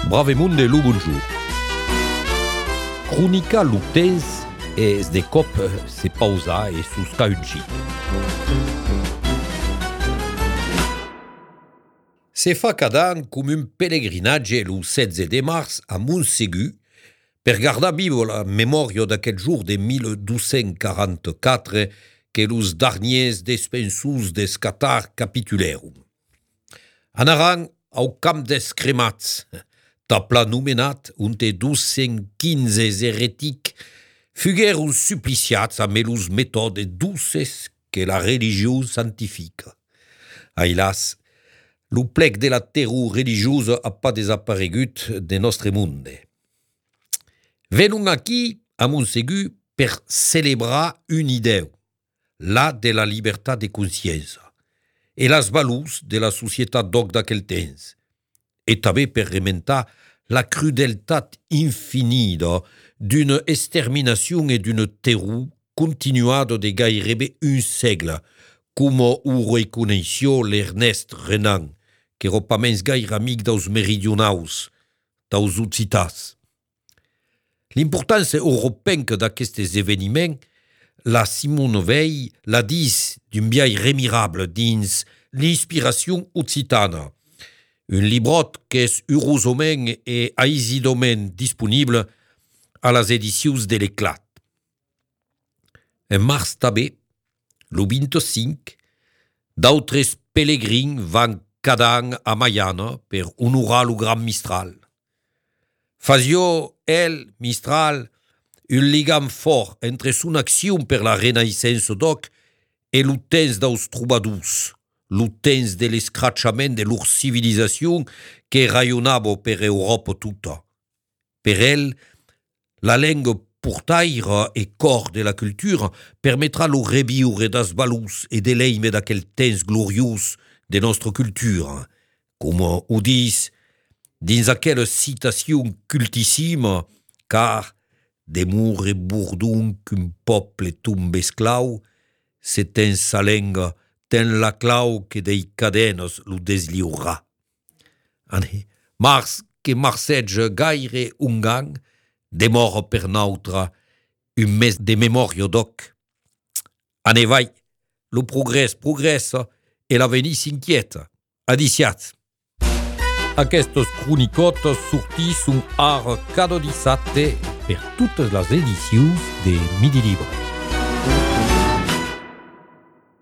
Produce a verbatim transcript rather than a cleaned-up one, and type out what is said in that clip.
Bravemunde lo bonjour. Cronica lo temps es de cop se pausa e susca un git. Se fa cada an com un pellegrinatge lo setze de març a Montségur per gardar vivo la memòria d'aquest jour de mil dos-cents quaranta-quatre que los darniers despensus des Catar capitulerum. Anaran au camp des cremats, tapla nomenat unte dos-cents quinze heretic, fugueron suppliciats amb los metodes douces que la religió santifica. Ailas, lo plec de la terror religiosa ha pas desaparegut de nostre monde. Venon aquí a Montségur per celebrar un ideu, la de la libertat de consciència, e las valors de la societat d'oc d'aquel temps, e també per rementar la crudeltat infinida d'una exterminació e d'una terror continuada de gairebé un segle, com ho reconeixió l'Ernest Renan, que era pas mens gaire amic dels meridionals, dels occitans. L'importància europenca d'aquests esdeveniments la Simone Veil la dis d'un biais remirable dins l'inspiration occitana, un librot que és heurosament e aisidament disponible a les edicions de l'Eclat. En març també, lo vint-i-cinc, d'autres pelegrins van cada any a Mayana per honorar lo gran Mistral. Fasió el, Mistral, un lligam fort entre son acció per la renaissance d'oc e lo temps dels trobadors, lo temps de l'escratxament de leur civilizació que rayonava per Europa tota. Per el, la lengua portaire e cor de la cultura permetrà lo reviure das valors e de l'eime d'aquel temps gloriós de nostra cultura, com ho dis dins aquella citació cultissima, car d'emur e bourdon qu'un poble tombe esclau, se ten sa lenga, ten la clau que dei cadenes lo desliurà. Ane, mars que marcetge gaire un gang, demora per nautra un mes de memòria d'oc. Ane vai, lo progrés progressa e l'avenir s'inquieta. Adiciat. Aquestes cronicotes sortisson ara cada dissabte per totes les edicions de Midi Libre.